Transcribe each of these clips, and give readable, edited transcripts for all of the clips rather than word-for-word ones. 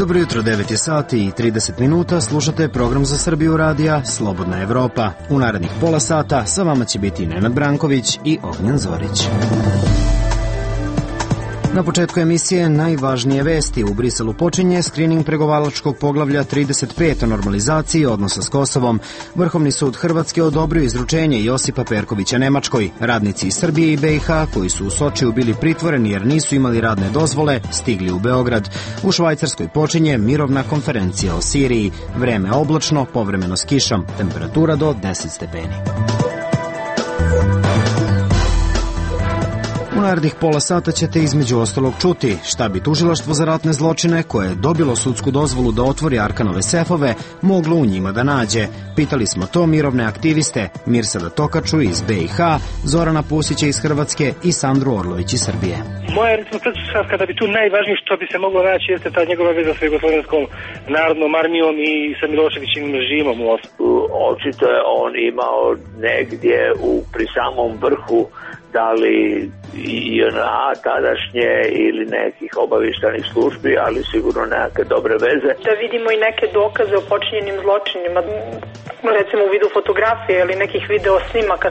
Dobro jutro, 9 je sati i 30 minuta, slušate program za Srbiju radija Slobodna Evropa. U narednih pola sata sa vama će biti Nenad Branković i Ognjen Zorić. Na početku emisije najvažnije vesti. U Briselu počinje skrining pregovaračkog poglavlja 35 o normalizaciji odnosa s Kosovom. Vrhovni sud Hrvatske odobrio izručenje Josipa Perkovića Nemačkoj. Radnici iz Srbije i BiH koji su u Sočiju bili pritvoreni jer nisu imali radne dozvole, stigli u Beograd. U Švajcarskoj počinje mirovna konferencija o Siriji. Vreme oblačno, povremeno s kišom. Temperatura do 10 stepeni. U narednih pola sata ćete između ostalog čuti šta bi tužilaštvo za ratne zločine, koje je dobilo sudsku dozvolu da otvori Arkanove sefove, moglo u njima da nađe. Pitali smo to mirovne aktiviste Mirsada Tokaču iz BiH, Zorana Pusića iz Hrvatske i Sandru Orlović iz Srbije. Moja recimo pretpostavka da bi tu najvažnije što bi se moglo naći jeste ta njegova veza sa Jugoslovenskom narodnom armijom i sa Miloševićevim režimom. Očito je on imao negdje pri samom vrhu da li JNA tadašnje ili nekih obavještajnih službi, ali sigurno neke dobre veze. Da vidimo i neke dokaze o počinjenim zločinima, recimo u vidu fotografije ili nekih video snimaka.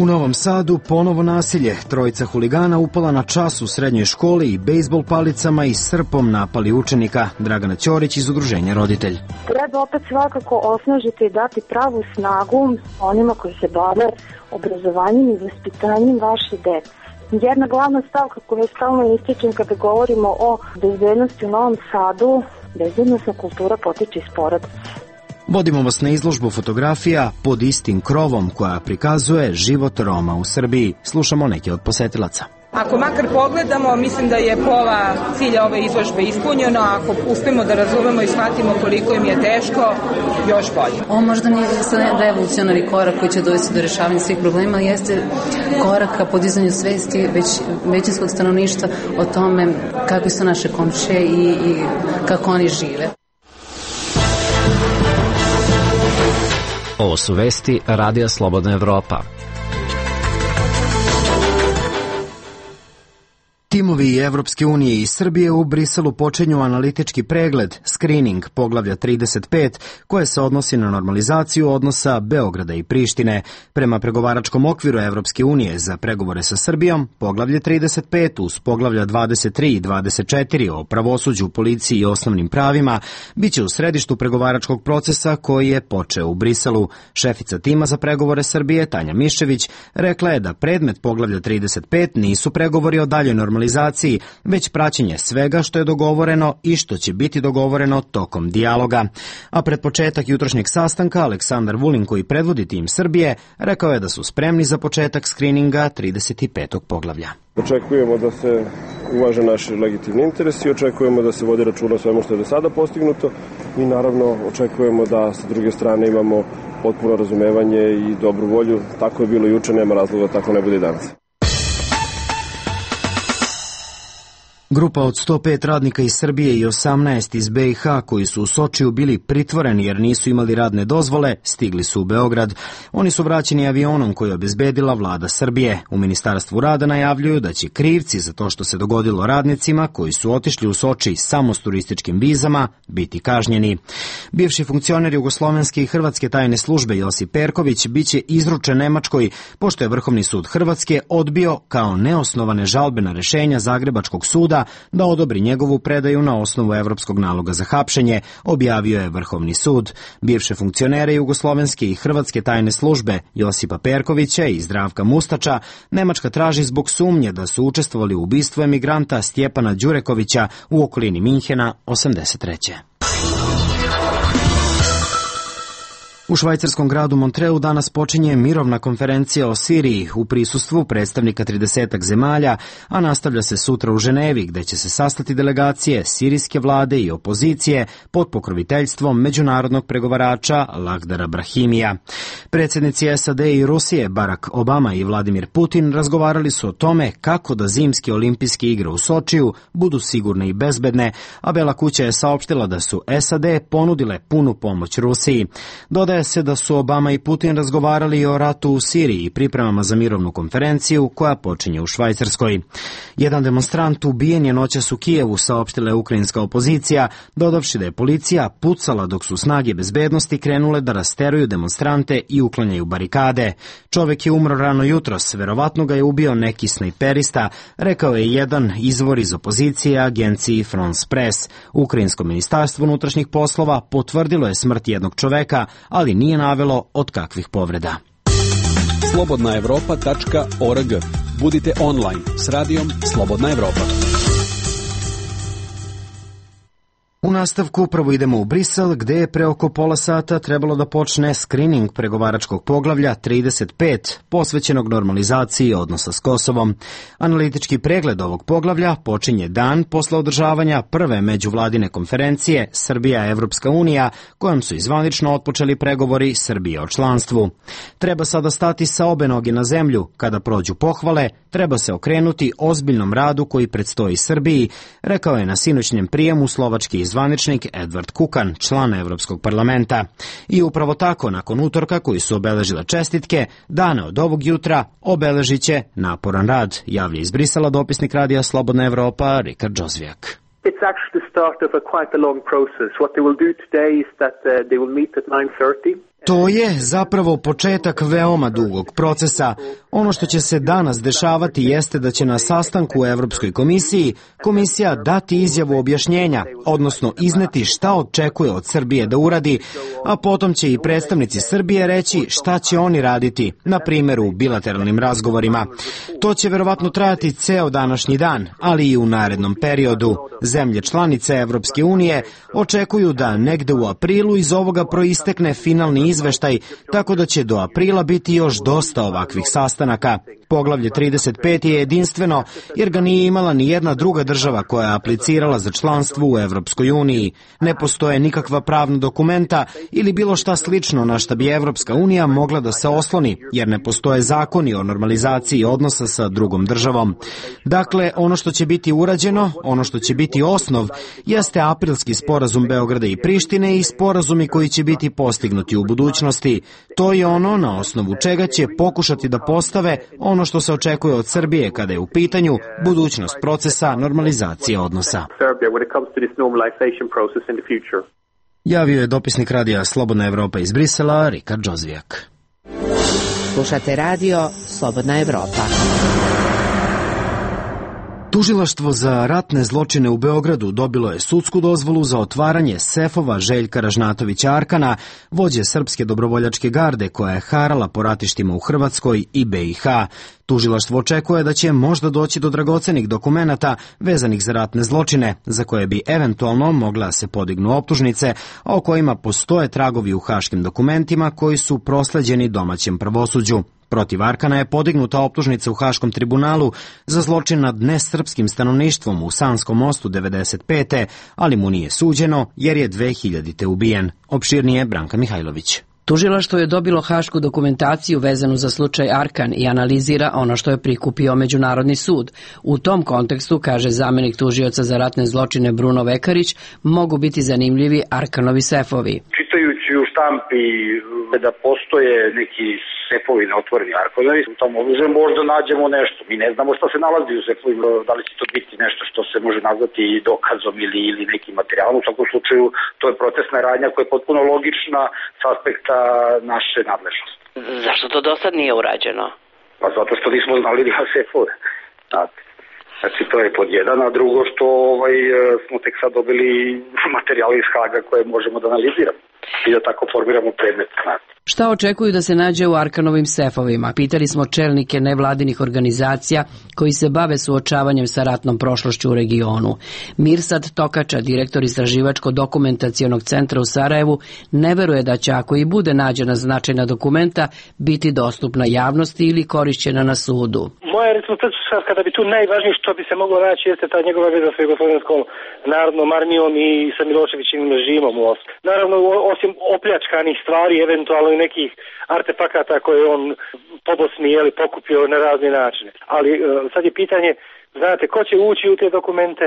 U Novom Sadu ponovo nasilje. Trojica huligana upala na čas u srednjoj školi i bejsbol palicama i srpom napali učenika. Dragana Ćorić iz Udruženja Roditelj. Treba opet svakako osnažiti i dati pravu snagu onima koji se bave obrazovanjem i vaspitanjem vaše dece. Jedna glavna stavka koju stalno ističem kada govorimo o bezbednosti u Novom Sadu, bezbednostna kultura potiče iz porodice. Vodimo vas na izložbu fotografija Pod istim krovom koja prikazuje život Roma u Srbiji. Slušamo neke od posetilaca. Ako makar pogledamo, mislim da je pola cilja ove izložbe ispunjeno. Ako uspemo da razumemo i shvatimo koliko im je teško, još bolje. Ovo možda nije revolucionarni korak koji će dovesti do rešavanja svih problema, ali jeste korak ka podizanju svesti većinskog stanovništva o tome kako su naše komšije i kako oni žive. Ovo su vesti Radija Slobodna Evropa. Timovi Evropske unije i Srbije u Briselu počinju analitički pregled, skrining poglavlja 35, koje se odnosi na normalizaciju odnosa Beograda i Prištine. Prema pregovaračkom okviru Evropske unije za pregovore sa Srbijom, poglavlje 35 uz poglavlja 23 i 24 o pravosuđu, policiji i osnovnim pravima biće u središtu pregovaračkog procesa koji je počeo u Briselu. Šefica tima za pregovore Srbije, Tanja Miščević, rekla je da predmet poglavlja 35 nisu pregovori o daljoj normalizaciji, već praćenje svega što je dogovoreno i što će biti dogovoreno tokom dijaloga. A pred početak jutrošnjeg sastanka Aleksandar Vulin, koji predvodi tim Srbije, rekao je da su spremni za početak skrininga 35. poglavlja. Očekujemo da se uvaže naši legitimni interesi, očekujemo da se vodi računa o svemu što je do sada postignuto i naravno očekujemo da sa druge strane imamo potpuno razumevanje i dobru volju. Tako je bilo juče, nema razloga tako ne bude i danas. Grupa od 105 radnika iz Srbije i 18 iz BiH koji su u Sočiju bili pritvoreni jer nisu imali radne dozvole, stigli su u Beograd. Oni su vraćeni avionom koji je obezbedila vlada Srbije. U Ministarstvu rada najavljuju da će krivci za to što se dogodilo radnicima koji su otišli u Soči samo s turističkim vizama biti kažnjeni. Bivši funkcioner Jugoslovenske i Hrvatske tajne službe Josip Perković biće izručen Nemačkoj, pošto je Vrhovni sud Hrvatske odbio kao neosnovane žalbena rešenja Zagrebačkog suda da odobri njegovu predaju na osnovu evropskog naloga za hapšenje, objavio je Vrhovni sud. Bivše funkcionere Jugoslovenske i Hrvatske tajne službe Josipa Perkovića i Zdravka Mustača Nemačka traži zbog sumnje da su učestvovali u ubistvu emigranta Stjepana Đurekovića u okolini Minhena 83. U švajcarskom gradu Montreu danas počinje mirovna konferencija o Siriji u prisustvu predstavnika 30 zemalja, a nastavlja se sutra u Ženevi, gde će se sastati delegacije sirijske vlade i opozicije pod pokroviteljstvom međunarodnog pregovarača Lakhdara Brahimija. Predsjednici SAD i Rusije Barack Obama i Vladimir Putin razgovarali su o tome kako da zimske olimpijske igre u Sočiju budu sigurne i bezbedne, a Bela kuća je saopštila da su SAD ponudile punu pomoć Rusiji. Dodaje se da su Obama i Putin razgovarali i o ratu u Siriji i pripremama za mirovnu konferenciju koja počinje u Švajcarskoj. Jedan demonstrant ubijen je noćas u Kijevu, saopštila je ukrajinska opozicija, dodavši da je policija pucala dok su snage bezbednosti krenule da rasteruju demonstrante i uklanjaju barikade. Čovek je umro rano jutros, verovatno ga je ubio neki snajperista, rekao je jedan izvor iz opozicije agenciji France Press. Ukrajinsko ministarstvo unutrašnjih poslova potvrdilo je smrt jednog čoveka, ali nije navelo od kakvih povreda. slobodnaevropa.org. Budite online s radijom Slobodna Evropa. U nastavku upravo idemo u Brisel, gde je pre oko pola sata trebalo da počne skrining pregovaračkog poglavlja 35, posvećenog normalizaciji odnosa s Kosovom. Analitički pregled ovog poglavlja počinje dan posle održavanja prve međuvladine konferencije Srbija-Evropska unija, kojom su izvanično otpočeli pregovori Srbije o članstvu. Treba sada stati sa obe noge na zemlju. Kada prođu pohvale, treba se okrenuti ozbiljnom radu koji predstoji Srbiji, rekao je na sinoćnjem prijemu slovački zvaničnik Edvard Kukan, član Evropskog parlamenta. I upravo tako, nakon utorka koji su obeležile čestitke, dane od ovog jutra obeležit će naporan rad, javlja iz Brisela dopisnik radija Slobodna Evropa Rikard Džozvijak. It's actually the start of quite a long process. What they will do today is that they will meet at 9:30. To je zapravo početak veoma dugog procesa. Ono što će se danas dešavati jeste da će na sastanku u Evropskoj komisiji komisija dati izjavu objašnjenja, odnosno izneti šta očekuje od Srbije da uradi, a potom će i predstavnici Srbije reći šta će oni raditi, na primjer u bilateralnim razgovorima. To će verovatno trajati ceo današnji dan, ali i u narednom periodu. Zemlje članice Evropske unije očekuju da negde u aprilu iz ovoga proistekne finalni izveštaj, tako da će do aprila biti još dosta ovakvih sastanaka. Poglavlje 35 je jedinstveno jer ga nije imala ni jedna druga država koja je aplicirala za članstvo u Evropskoj uniji. Ne postoje nikakva pravna dokumenta ili bilo šta slično na šta bi Evropska unija mogla da se osloni, jer ne postoje zakoni o normalizaciji odnosa sa drugom državom. Dakle, ono što će biti urađeno, ono što će biti osnov, jeste aprilski sporazum Beograda i Prištine i sporazumi koji će biti postignuti u budućnosti. To je ono na osnovu čega će pokušati da postave ono što se očekuje od Srbije kada je u pitanju budućnost procesa normalizacije odnosa. Javio je dopisnik radija Slobodna Evropa iz Brisela, Rikard Džozvijak. Slušate radio Slobodna Evropa. Tužilaštvo za ratne zločine u Beogradu dobilo je sudsku dozvolu za otvaranje sefova Željka Ražnatovića Arkana, vođe Srpske dobrovoljačke garde koja je harala po ratištima u Hrvatskoj i BiH. Tužilaštvo očekuje da će možda doći do dragocenih dokumenata vezanih za ratne zločine, za koje bi eventualno mogla se podignu optužnice, a o kojima postoje tragovi u haškim dokumentima koji su prosleđeni domaćem pravosuđu. Protiv Arkana je podignuta optužnica u Haškom tribunalu za zločin nad nesrpskim stanovništvom u Sanskom mostu 95. ali mu nije suđeno jer je 2000. ubijen. Opširnije Branka Mihajlović. Tužilaštvo je dobilo hašku dokumentaciju vezanu za slučaj Arkan i analizira ono što je prikupio Međunarodni sud. U tom kontekstu, kaže zamenik tužioca za ratne zločine Bruno Vekarić, mogu biti zanimljivi Arkanovi sefovi. Čitajući u štampi da postoje neki sefovi neotvoreni Arkanovi, u tom oružju možda nađemo nešto. Mi ne znamo šta se nalazi u sefovima, da li će to biti nešto što se može nazvati dokazom ili nekim materijalom. U svakom slučaju, to je procesna radnja koja je potpuno logična s aspekta naše nadležnosti. Zašto to do sad nije urađeno? Pa zato što nismo znali da ima sefove. Znači, to je pod jedan, a drugo što smo tek sad dobili materijale iz Haga koje možemo da analiziramo i da tako formiramo predmet. Šta očekuju da se nađe u Arkanovim sefovima? Pitali smo čelnike nevladinih organizacija koji se bave suočavanjem sa ratnom prošlošću u regionu. Mirsad Tokača, direktor Istraživačko-dokumentacionog centra u Sarajevu, ne veruje da će, ako i bude nađena značajna dokumenta, biti dostupna javnosti ili korišćena na sudu. Moja recimo pretpostavka kada bi tu najvažnije što bi se moglo naći jeste ta njegova veza sa Jugoslavenskom narodnom armijom i sa Miloševićevim režimom. Naravno, osim opljačkanih stvari, eventualno i nekih artefakata koje on pobosni pokupio na razne načine. Ali sad je pitanje, znate, ko će ući u te dokumente?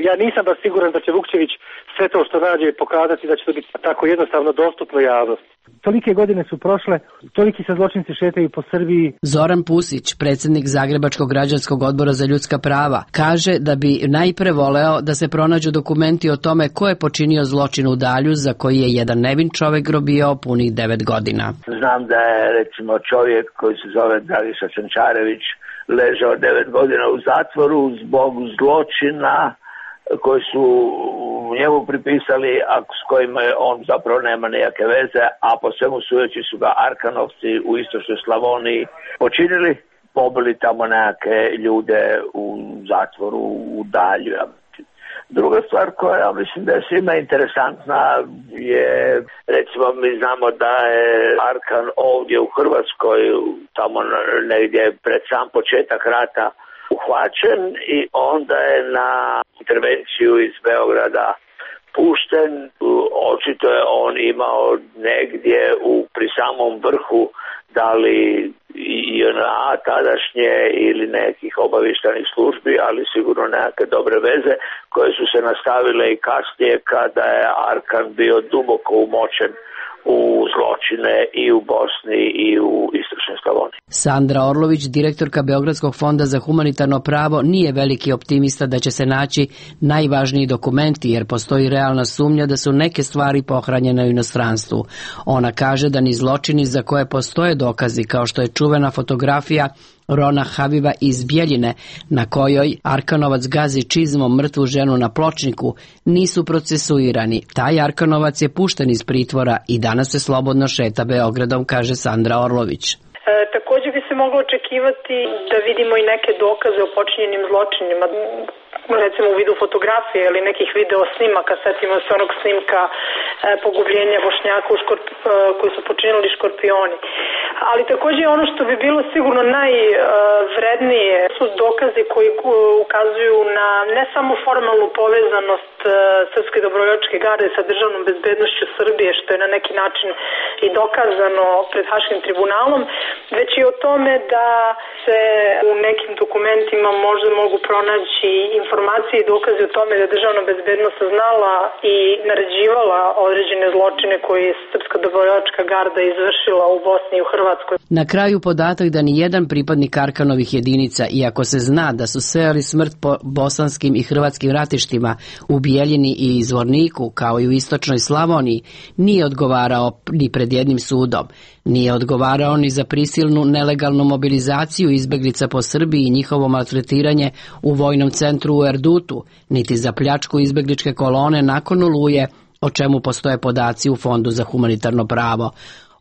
Ja nisam baš siguran da će Vukčević sve to što nađe pokazati da će to biti tako jednostavno dostupno javnosti. Tolike godine su prošle, toliki se zločinci šetaju po Srbiji. Zoran Pusić, predsjednik Zagrebačkog građanskog odbora za ljudska prava, kaže da bi najpre voleo da se pronađu dokumenti o tome ko je počinio zločin u Dalju za koji je jedan nevin čovek robijao punih 9 godina. Znam da je recimo čovjek koji se zove Dragiša Sančarević ležao 9 godina u zatvoru zbog zločina koji su njemu pripisali, a s kojima on zapravo nema nejake veze, a po svemu sudeći su ga Arkanovci u istočnoj Slavoniji počinili, pobili tamo neke ljude u zatvoru u Dalju. Druga stvar koja ja mislim da je svima interesantna je, recimo mi znamo da je Arkan ovdje u Hrvatskoj, tamo negdje pred sam početak rata, uhvaćen i onda je na intervenciju iz Beograda pušten. Očito je on imao negdje pri samom vrhu da li JNA tadašnje ili nekih obavještajnih službi, ali sigurno nekakve dobre veze koje su se nastavile i kasnije kada je Arkan bio duboko umočen u zločine i u Bosni i u istočnoj Slavoniji. Sandra Orlović, direktorka Beogradskog fonda za humanitarno pravo, nije veliki optimista da će se naći najvažniji dokumenti, jer postoji realna sumnja da su neke stvari pohranjene u inostranstvu. Ona kaže da ni zločini za koje postoje dokazi, kao što je čuvena fotografija Rona Habiba iz Bjeljine, na kojoj Arkanovac gazi čizmom mrtvu ženu na pločniku, nisu procesuirani. Taj Arkanovac je pušten iz pritvora i danas se slobodno šeta Beogradom, kaže Sandra Orlović. Također bi se moglo očekivati da vidimo i neke dokaze o počinjenim zločinima, recimo u vidu fotografije ili nekih video snimaka. Setimo se onog snimka pogubljenja Bošnjaka koji su počinili škorpioni. Ali također ono što bi bilo sigurno najvrednije su dokazi koji ukazuju na ne samo formalnu povezanost Srpske dobrovoljačke garde sa državnom bezbednošću Srbije, što je na neki način i dokazano pred Haškim tribunalom, već i o tome da se u nekim dokumentima možda mogu pronaći informacije i dokaze o tome da državna bezbednost znala i naređivala određene zločine koje je Srpska dobrovoljačka garda izvršila u Bosni i u Hrvatskoj. Na kraju podatak da ni jedan pripadnik Arkanovih jedinica, iako se zna da su sejali smrt po bosanskim i hrvatskim ratištima u Bijeljini i Zvorniku, kao i u istočnoj Slavoniji, nije odgovarao ni pred jednim sudom. Nije odgovarao ni za prisilnu nelegalnu mobilizaciju izbeglica po Srbiji i njihovo maltretiranje u vojnom centru u Erdutu, niti za pljačku izbegličke kolone nakon Oluje, o čemu postoje podaci u Fondu za humanitarno pravo.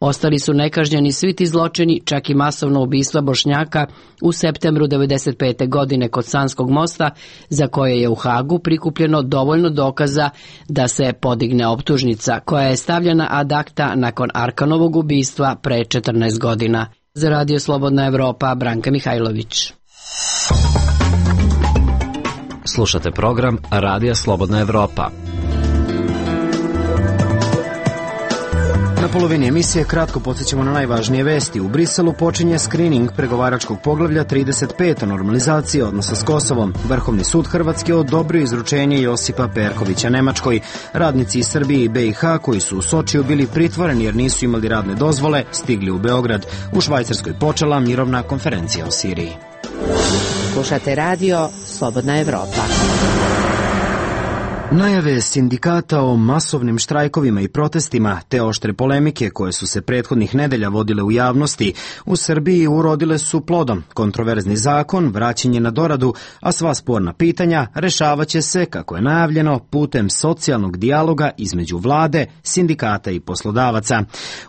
Ostali su nekažnjeni svi ti zločini, čak i masovno ubistva Bošnjaka u septembru 1995. godine kod Sanskog mosta, za koje je u Hagu prikupljeno dovoljno dokaza da se podigne optužnica, koja je stavljena ad acta nakon Arkanovog ubistva pre 14 godina. Za Radio Slobodna Evropa, Branka Mihajlović. Slušate program Radija Slobodna Evropa. Na polovini emisije kratko podsjećamo na najvažnije vesti. U Briselu počinje skrining pregovaračkog poglavlja 35 o normalizaciji odnosa s Kosovom. Vrhovni sud Hrvatske odobrio izručenje Josipa Perkovića Nemačkoj. Radnici iz Srbije i BiH koji su u Sočiju bili pritvoreni jer nisu imali radne dozvole, stigli u Beograd. U Švajcarskoj počela mirovna konferencija o Siriji. Slušate radio Slobodna Evropa. Najave sindikata o masovnim štrajkovima i protestima te oštre polemike koje su se prethodnih nedelja vodile u javnosti u Srbiji urodile su plodom. Kontroverzni zakon, vraćanje na doradu, a sva sporna pitanja rešavaće se, kako je najavljeno, putem socijalnog dijaloga između vlade, sindikata i poslodavaca.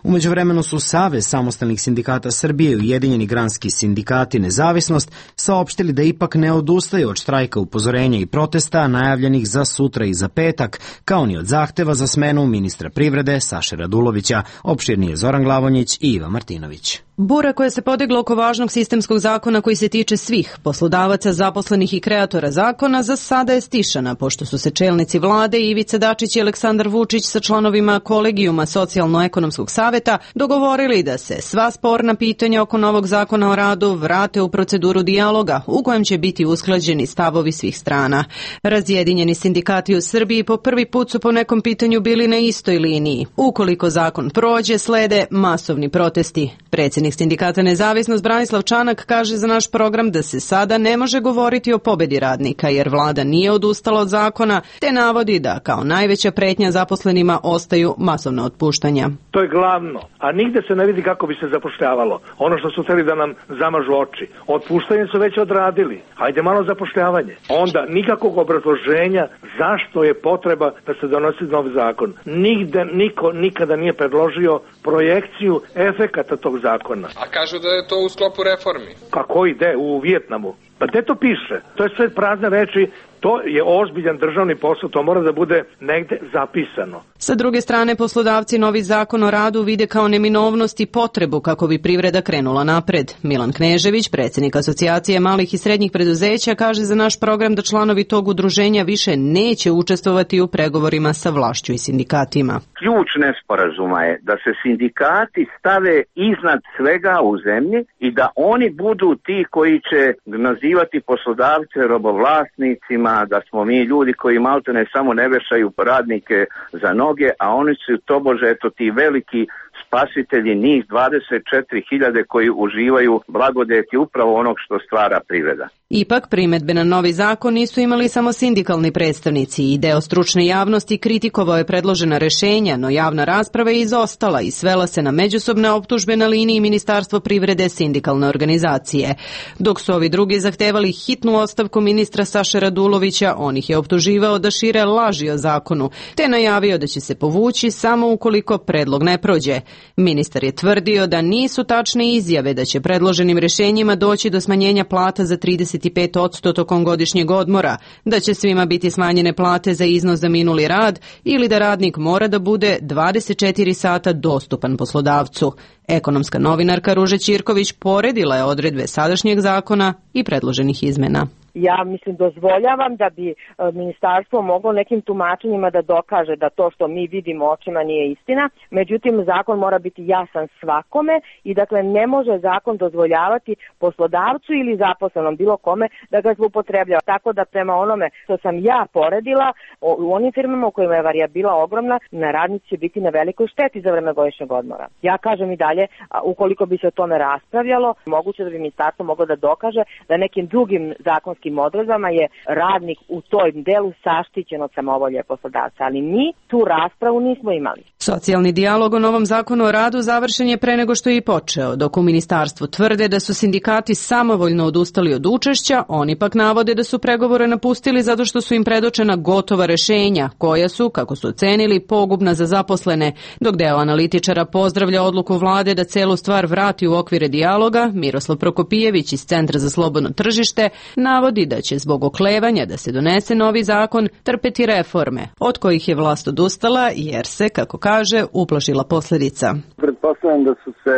U međuvremenu su Savez samostalnih sindikata Srbije i Ujedinjeni granski sindikati Nezavisnost saopštili da ipak ne odustaju od štrajka, upozorenja i protesta najavljenih za sutra i za petak, kao ni od zahteva za smenu ministra privrede Saše Radulovića. Opširnije Zoran Glavonjić i Iva Martinović. Bura koja se podigla oko važnog sistemskog zakona koji se tiče svih poslodavaca, zaposlenih i kreatora zakona za sada je stišana, pošto su se čelnici vlade Ivica Dačić i Aleksandar Vučić sa članovima kolegijuma Socijalno-ekonomskog saveta dogovorili da se sva sporna pitanja oko novog zakona o radu vrate u proceduru dijaloga u kojem će biti usklađeni stavovi svih strana. Razjedinjeni sindikati u Srbiji po prvi put su po nekom pitanju bili na istoj liniji. Ukoliko zakon prođe, slede masovni protesti. Predsjednik sindikata Nezavisnost Branislav Čanak kaže za naš program da se sada ne može govoriti o pobedi radnika jer vlada nije odustala od zakona, te navodi da kao najveća pretnja zaposlenima ostaju masovna otpuštanja. To je glavno, a nigde se ne vidi kako bi se zapošljavalo. Ono što su hteli da nam zamažu oči. Otpuštanje su već odradili. Hajde malo zapošljavanje. Onda nikakvog obrazloženja zašto je potreba da se donosi nov zakon. Nigde niko nikada nije predložio projekciju efekata tog zakona. A kažu da je to u sklopu reformi. Kako ide u Vijetnamu? Pa gde to piše? To je sve prazne reči. To je ozbiljan državni posao, to mora da bude negde zapisano. Sa druge strane, poslodavci novi zakon o radu vide kao neminovnost i potrebu kako bi privreda krenula napred. Milan Knežević, predsjednik Asocijacije malih i srednjih preduzeća, kaže za naš program da članovi tog udruženja više neće učestvovati u pregovorima sa vlašću i sindikatima. Ključ nesporazuma je da se sindikati stave iznad svega u zemlji i da oni budu ti koji će nazivati poslodavce robovlasnicima, da smo mi ljudi koji maltene samo ne vešaju radnike za noge, a oni su tobože ti veliki spasitelji, njih 24.000 koji uživaju blagodeti upravo onog što stvara privreda. Ipak, primedbe na novi zakon nisu imali samo sindikalni predstavnici i deo stručne javnosti kritikovao je predložena rešenja, no javna rasprava je izostala i svela se na međusobne optužbe na liniji Ministarstvo privrede sindikalne organizacije. Dok su ovi drugi zahtevali hitnu ostavku ministra Saše Radulovića, on ih je optuživao da šire laži o zakonu, te najavio da će se povući samo ukoliko predlog ne prođe. Ministar je tvrdio da nisu tačne izjave da će predloženim rešenjima doći do smanjenja plata za 35% tokom godišnjeg odmora, da će svima biti smanjene plate za iznos za minuli rad ili da radnik mora da bude 24 sata dostupan poslodavcu. Ekonomska novinarka Ruža Ćirković poredila je odredbe sadašnjeg zakona i predloženih izmena. Ja dozvoljavam da bi ministarstvo moglo nekim tumačenjima da dokaže da to što mi vidimo očima nije istina, međutim zakon mora biti jasan svakome i dakle ne može zakon dozvoljavati poslodavcu ili zaposlenom bilo kome da ga zloupotrebljava. Tako da prema onome što sam ja poredila, u onim firmama u kojima je varijabila ogromna, na radnici će biti na velikoj šteti za vreme godišnjeg odmora. Ja kažem i dalje, ukoliko bi se o tome raspravljalo, moguće da bi ministarstvo moglo da dokaže da nekim drugim zakonskim odredbama je radnik u tom delu saštićen od samovolje poslodavca, ali mi tu raspravu nismo imali. Socijalni dijalog o novom zakonu o radu završen je pre nego što je i počeo. Dok u ministarstvu tvrde da su sindikati samovoljno odustali od učešća, oni pak navode da su pregovore napustili zato što su im predočena gotova rešenja, koja su, kako su ocenili, pogubna za zaposlene. Dok deo analitičara pozdravlja odluku vlade da celu stvar vrati u okvire dijaloga, Miroslav Prokopijević iz Centra za slobodno tržište navodi da će zbog oklevanja da se donese novi zakon trpeti reforme, od kojih je vlast odustala jer se, kako kaže, uplašila posljedica. Pretpostavljam da su se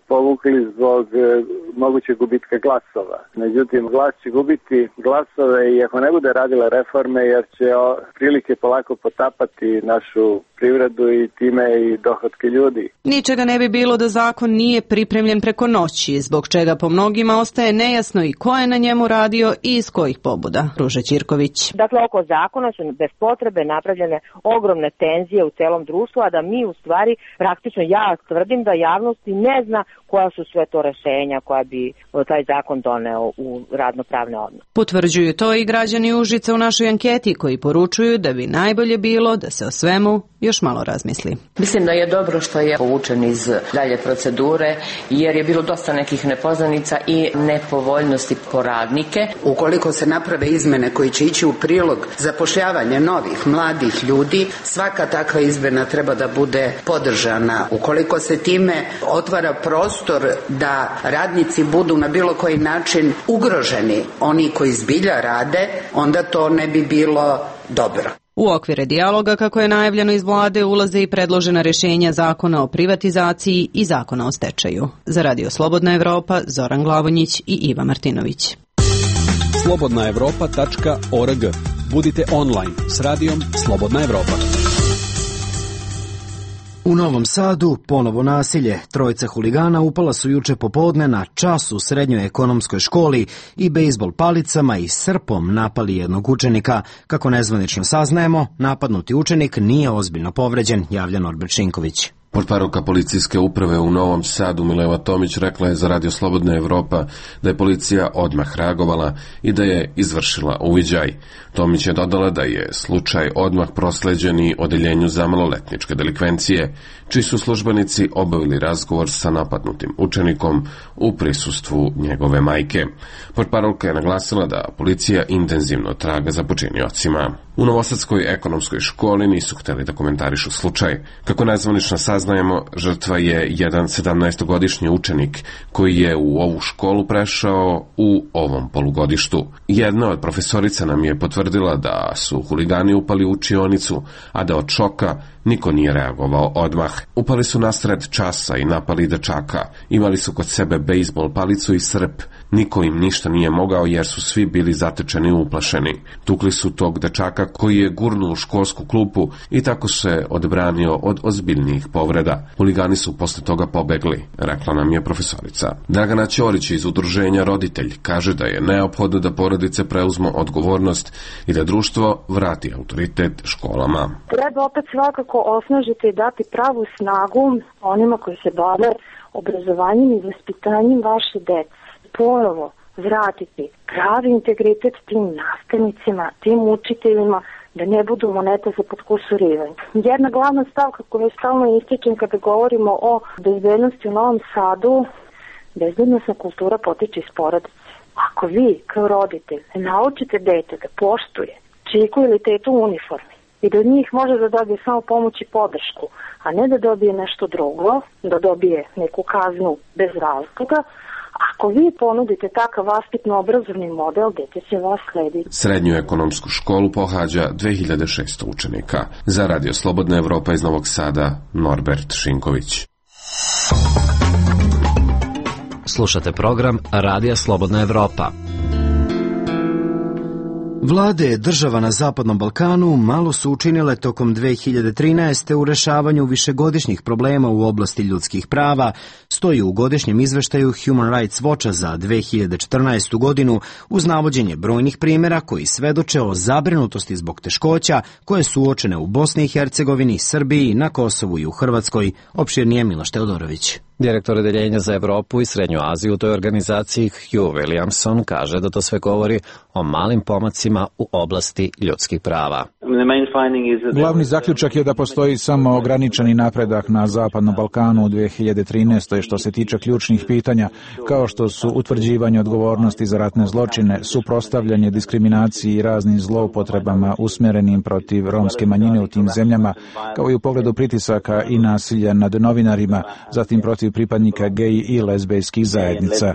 povukli zbog mogućeg gubitka glasova. Međutim, vlast će gubiti glasove i ako ne bude radila reforme jer će prilike polako potapati našu privredu i time i dohotke ljudi. Ničega ne bi bilo da zakon nije pripremljen preko noći, zbog čega po mnogima ostaje nejasno i ko je na njemu radio i iz kojih pobuda. Ruža Ćirković. Dakle, oko zakona su bez potrebe napravljene ogromne tenzije u celom društvu, a da mi u stvari, praktično ja tvrdim da javnosti ne zna koja su sve to rešenja koja bi taj zakon doneo u radnopravne odnose. Potvrđuju to i građani Užica u našoj anketi koji poručuju da bi najbolje bilo da se o svemu još malo razmisli. Mislim da je dobro što je povučen iz dalje procedure jer je bilo dosta nekih nepoznanica i nepovoljnosti po radnike. Ukoliko se naprave izmene koji će ići u prilog zapošljavanje novih mladih ljudi, svaka takva izmena treba da bude podržana. Ukoliko se time otvara prostor da radnici budu na bilo koji način ugroženi, oni koji zbilja rade, onda to ne bi bilo dobro. U okvire dijaloga, kako je najavljeno iz vlade, ulaze i predložena rješenja zakona o privatizaciji i zakona o stečaju. Za Radio Slobodna Evropa, Zoran Glavonjić i Iva Martinović. slobodnaevropa.org. Budite online s radijom Slobodna Evropa. U Novom Sadu ponovo nasilje. Trojica huligana upala su juče popodne na čas u srednjoj ekonomskoj školi i bejzbol palicama i srpom napali jednog učenika. Kako nezvanično saznajemo, napadnuti učenik nije ozbiljno povređen, javlja Norbert Šinković. Portparolka policijske uprave u Novom Sadu Mileva Tomić rekla je za Radio Slobodna Evropa da je policija odmah reagovala i da je izvršila uviđaj. Tomić je dodala da je slučaj odmah prosleđen i odeljenju za maloletničke delikvencije, čiji su službenici obavili razgovor sa napadnutim učenikom u prisustvu njegove majke. Portparolka je naglasila da policija intenzivno traga za počiniocima. U Novosadskoj ekonomskoj školi nisu hteli da komentarišu slučaj. Kako nezvanično saznajemo, žrtva je jedan 17-godišnji učenik koji je u ovu školu prešao u ovom polugodištu. Jedna od profesorica nam je potvrdila da su huligani upali u učionicu, a da od šoka niko nije reagovao odmah. Upali su nasred časa i napali dečaka. Imali su kod sebe bejzbol palicu i srp. Niko im ništa nije mogao jer su svi bili zatečeni i uplašeni. Tukli su tog dečaka koji je gurnuo u školsku klupu i tako se odbranio od ozbiljnijih povreda. Huligani su posle toga pobegli, rekla nam je profesorica. Dragana Ćorić iz udruženja Roditelj kaže da je neophodno da porodice preuzmu odgovornost i da društvo vrati autoritet školama. Treba opet svakako osnažiti i dati pravu snagu onima koji se bave obrazovanjem i vaspitanjem vaše dece. Ponovo vratiti pravi integritet tim nastavnicima, tim učiteljima, da ne budu moneta za potkusurivanje. Jedna glavna stavka koju stalno ističem kada govorimo o bezbednosti u Novom Sadu, bezbednostna kultura potiče iz porodice. Ako vi, kao roditelj, naučite dete da poštuje čiku ili tetu u uniformi i da od njih može da dobije samo pomoć i podršku, a ne da dobije nešto drugo, da dobije neku kaznu bez razloga, ako vi ponudite takav vaspitno-obrazovni model, dete će vas slediti. Srednju ekonomsku školu pohađa 2600 učenika. Za Radio Slobodna Evropa iz Novog Sada, Norbert Šinković. Slušate program Radija Slobodna Evropa. Vlade država na Zapadnom Balkanu malo su učinile tokom 2013. u rešavanju višegodišnjih problema u oblasti ljudskih prava, stoji u godišnjem izveštaju Human Rights Watcha za 2014. godinu uz navođenje brojnih primjera koji svedoče o zabrinutosti zbog teškoća koje su uočene u Bosni i Hercegovini, Srbiji, na Kosovu i u Hrvatskoj, opširnije Miloš Teodorović. Direktor odeljenja za Evropu i Srednju Aziju u toj organizaciji Hugh Williamson kaže da to sve govori o malim pomacima u oblasti ljudskih prava. Glavni zaključak je da postoji samo ograničeni napredak na Zapadnom Balkanu u 2013. što se tiče ključnih pitanja, kao što su utvrđivanje odgovornosti za ratne zločine, suprotstavljanje diskriminaciji i raznim zloupotrebama usmjerenim protiv romske manjine u tim zemljama, kao i u pogledu pritisaka i nasilja nad novinarima, zatim protiv pripadnika gej i lezbejskih zajednica.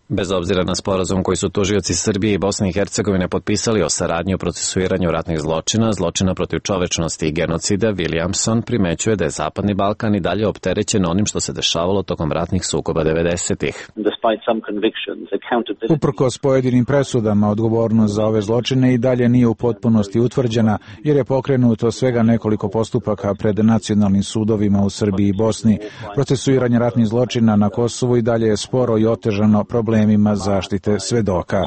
Bez obzira na sporazum koji su tužioci Srbije i Bosne i Hercegovine potpisali o saradnji u procesuiranju ratnih zločina, zločina protiv čovečnosti i genocida, Williamson primećuje da je Zapadni Balkan i dalje opterećen onim što se dešavalo tokom ratnih sukoba 90-ih. Uprkos pojedinim presudama, odgovornost za ove zločine i dalje nije u potpunosti utvrđena, jer je pokrenuto svega nekoliko postupaka pred nacionalnim sudovima u Srbiji i Bosni. Procesuiranje ratnih zločina na Kosovu i dalje je sporo i otežano problemima zaštite svedoka.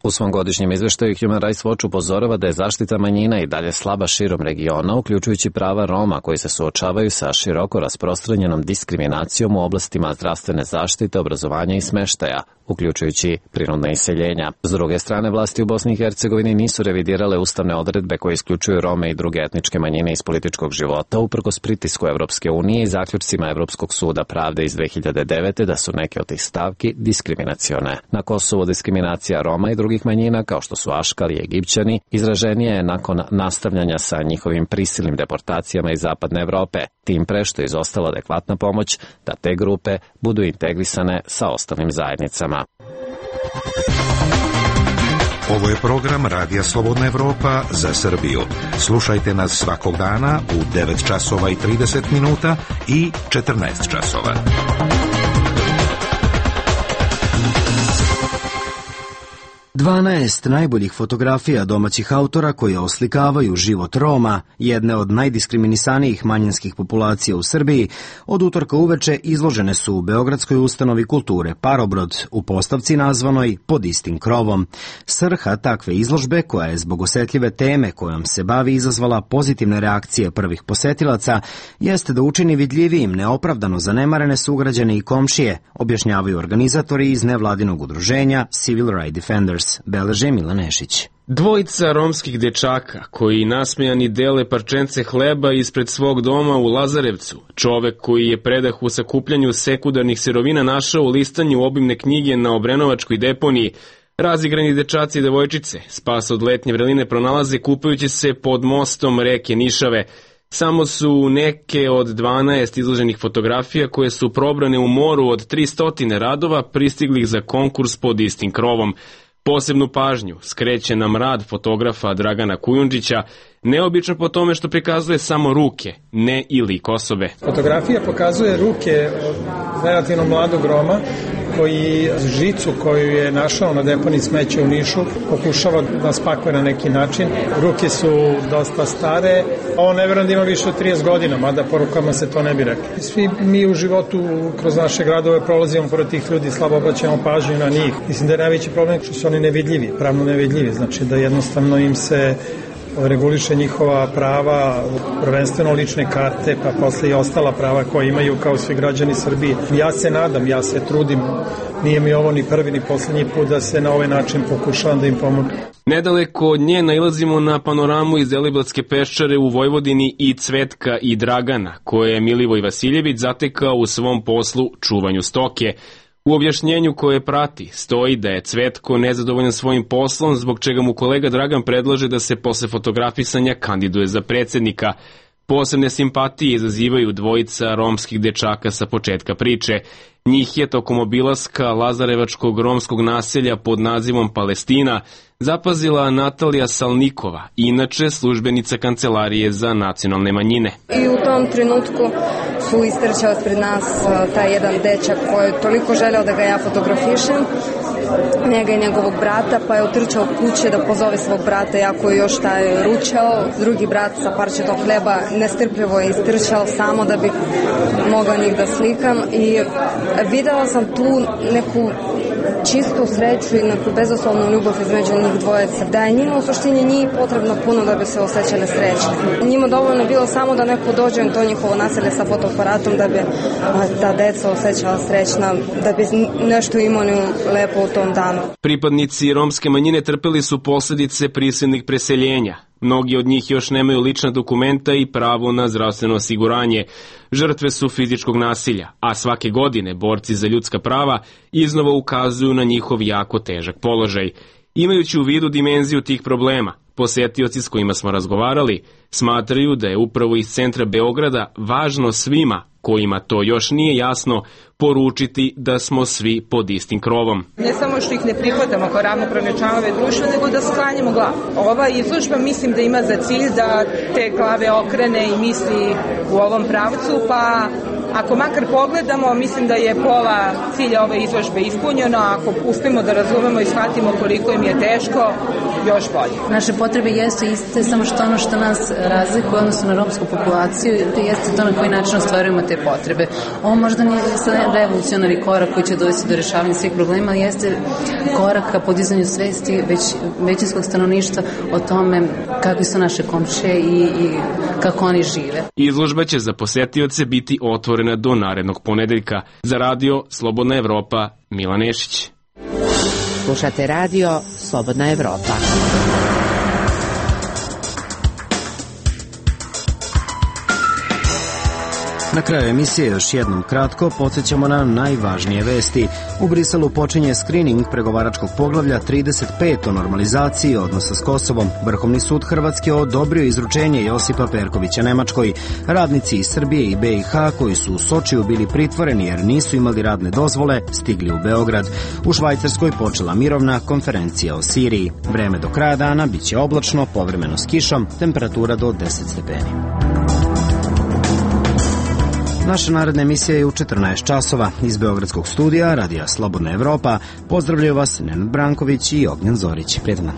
U svom godišnjem izveštaju Human Rights Watch upozorava da je zaštita manjina i dalje slaba širom regiona, uključujući prava Roma koji se suočavaju sa široko rasprostranjenom diskriminacijom u oblastima zdravstvene zaštite, obrazovanja i smeštaja, uključujući prinudna iseljenja. S druge strane, vlasti u Bosni i Hercegovini nisu revidirale ustavne odredbe koje isključuju Rome i druge etničke manjine iz političkog života, uprkos pritisku Evropske unije i zaključcima Evropskog suda pravde iz 2009. da su neke od tih stavki diskriminacione. Na Kosovu diskriminacija Roma i drugih manjina, kao što su Aškali i Egipćani, izraženije je nakon nastavljanja sa njihovim prisilnim deportacijama iz Zapadne Evrope, tim pre što je izostala adekvatna pomoć da te grupe budu integrisane sa ostalim zajednicama. Ovo je program Radija Slobodna Evropa za Srbiju. Slušajte nas svakog dana u 9 časova i 30 minuta i 14 časova. 12 najboljih fotografija domaćih autora koje oslikavaju život Roma, jedne od najdiskriminisanijih manjinskih populacija u Srbiji, od utorka uveče izložene su u Beogradskoj ustanovi kulture Parobrod u postavci nazvanoj Pod istim krovom. Svrha takve izložbe, koja je zbog osetljive teme kojom se bavi izazvala pozitivne reakcije prvih posetilaca, jeste da učini vidljivijim neopravdano zanemarene sugrađane i komšije, objašnjavaju organizatori iz nevladinog udruženja Civil Rights Defenders. Beleže Milan Nešić. Dvojica romskih dečaka koji nasmejani dele parčence hleba ispred svog doma u Lazarevcu, čovek koji je predah u sakupljanju sekundarnih sirovina našao u listanju obimne knjige na Obrenovačkoj deponiji, razigrani dečaci i devojčice spas od letnje vreline pronalaze kupajući se pod mostom reke Nišave. Samo su neke od 12 izloženih fotografija koje su probrane u moru od 300 radova pristiglih za konkurs Pod istim krovom. Posebnu pažnju skreće nam rad fotografa Dragana Kujundžića, neobično po tome što prikazuje samo ruke, ne i lik osobe. Fotografija pokazuje ruke relativno mladog Roma koji žicu koju je našao na deponiji smeća u Nišu pokušava da spakuje na neki način. Ruke su dosta stare, a on ne vjerujem da ima više od 30 godina, mada po rukama se to ne bi rekli. Svi mi u životu kroz naše gradove prolazimo pored tih ljudi, slabo obraćamo pažnju na njih. Mislim da je najveći problem što su oni nevidljivi, pravno nevidljivi, znači da jednostavno im se reguliše njihova prava, prvenstveno lične karte, pa posle i ostala prava koje imaju kao svi građani Srbije. Ja se nadam, ja se trudim, nije mi ovo ni prvi ni poslednji put da se na ovaj način pokušavam da im pomogu. Nedaleko od nje nailazimo na panoramu iz Deliblatske peščare u Vojvodini i Cvetka i Dragana, koje je Milivoj Vasiljević zatekao u svom poslu čuvanju stoke. U objašnjenju koje prati stoji da je Cvetko nezadovoljan svojim poslom, zbog čega mu kolega Dragan predlaže da se posle fotografisanja kandiduje za predsednika. Posebne simpatije izazivaju dvojica romskih dečaka sa početka priče. Njih je tokom obilaska Lazarevačkog romskog naselja pod nazivom Palestina zapazila Natalija Salnikova, inače službenica Kancelarije za nacionalne manjine. I u tom trenutku su istrčao ispred nas taj jedan dečak koji je toliko želeo da ga ja fotografišem, njega i njegovog brata, pa je utrčao kuće da pozove svog brata, jako je još taj ručao. Drugi brat sa parčetom hleba nestrpljivo je istrčao samo da bi mogao njih da slikam i videla sam tu neku čistu sreću i neku bezoslovnu ljubav između njih dvojeca. Da je njima u suštini njih potrebno puno da bi se osjećale srećne. Njima dovoljno je bilo samo da neko dođe u to njihovo naselje sa fotoaparatom da bi ta deca osjećala srećna, da bi nešto imali lepo u tom danu. Pripadnici romske manjine trpeli su posljedice prisilnih preseljenja. Mnogi od njih još nemaju lična dokumenta i pravo na zdravstveno osiguranje. Žrtve su fizičkog nasilja, a svake godine borci za ljudska prava iznova ukazuju na njihov jako težak položaj. Imajući u vidu dimenziju tih problema, posetioci s kojima smo razgovarali smatraju da je upravo iz centra Beograda važno svima, kojima to još nije jasno, poručiti da smo svi pod istim krovom. Ne samo što ih ne prihvatamo kao ravnopravne članove društva, nego da sklanjamo glavu. Ova izložba mislim da ima za cilj da te glave okrene i misli u ovom pravcu, pa ako makar pogledamo, mislim da je pola cilja ove izložbe ispunjeno, ako uspemo da razumemo i shvatimo koliko im je teško, još bolje. Naše potrebe jesu iste, samo što ono što nas razlikuje odnosno na romsku populaciju, to jeste to na koji način ostvarujemo te potrebe. Ovo možda nije revolucionarni korak koji će dovesti do rešavanja svih problema, ali jeste korak ka podizanju svesti većinskog stanovništva o tome kakvi su naše komšije i kako oni žive. Izložba će za posetioce biti otvorena do narednog ponedeljka. Za radio Slobodna Evropa, Milan Nešić. Slušate radio Slobodna Evropa. Na kraju emisije još jednom kratko podsjećamo na najvažnije vesti. U Briselu počinje skrining pregovaračkog poglavlja 35 o normalizaciji odnosa s Kosovom. Vrhovni sud Hrvatske odobrio izručenje Josipa Perkovića Nemačkoj. Radnici iz Srbije i BiH koji su u Sočiju bili pritvoreni jer nisu imali radne dozvole, stigli u Beograd. U Švajcarskoj počela mirovna konferencija o Siriji. Vreme do kraja dana biće oblačno, povremeno s kišom, temperatura do 10 stepeni. Naša naredna emisija je u 14 časova. Iz Beogradskog studija Radija Slobodna Evropa pozdravljaju vas Nenad Branković i Ognjen Zorić. Prijetan dan.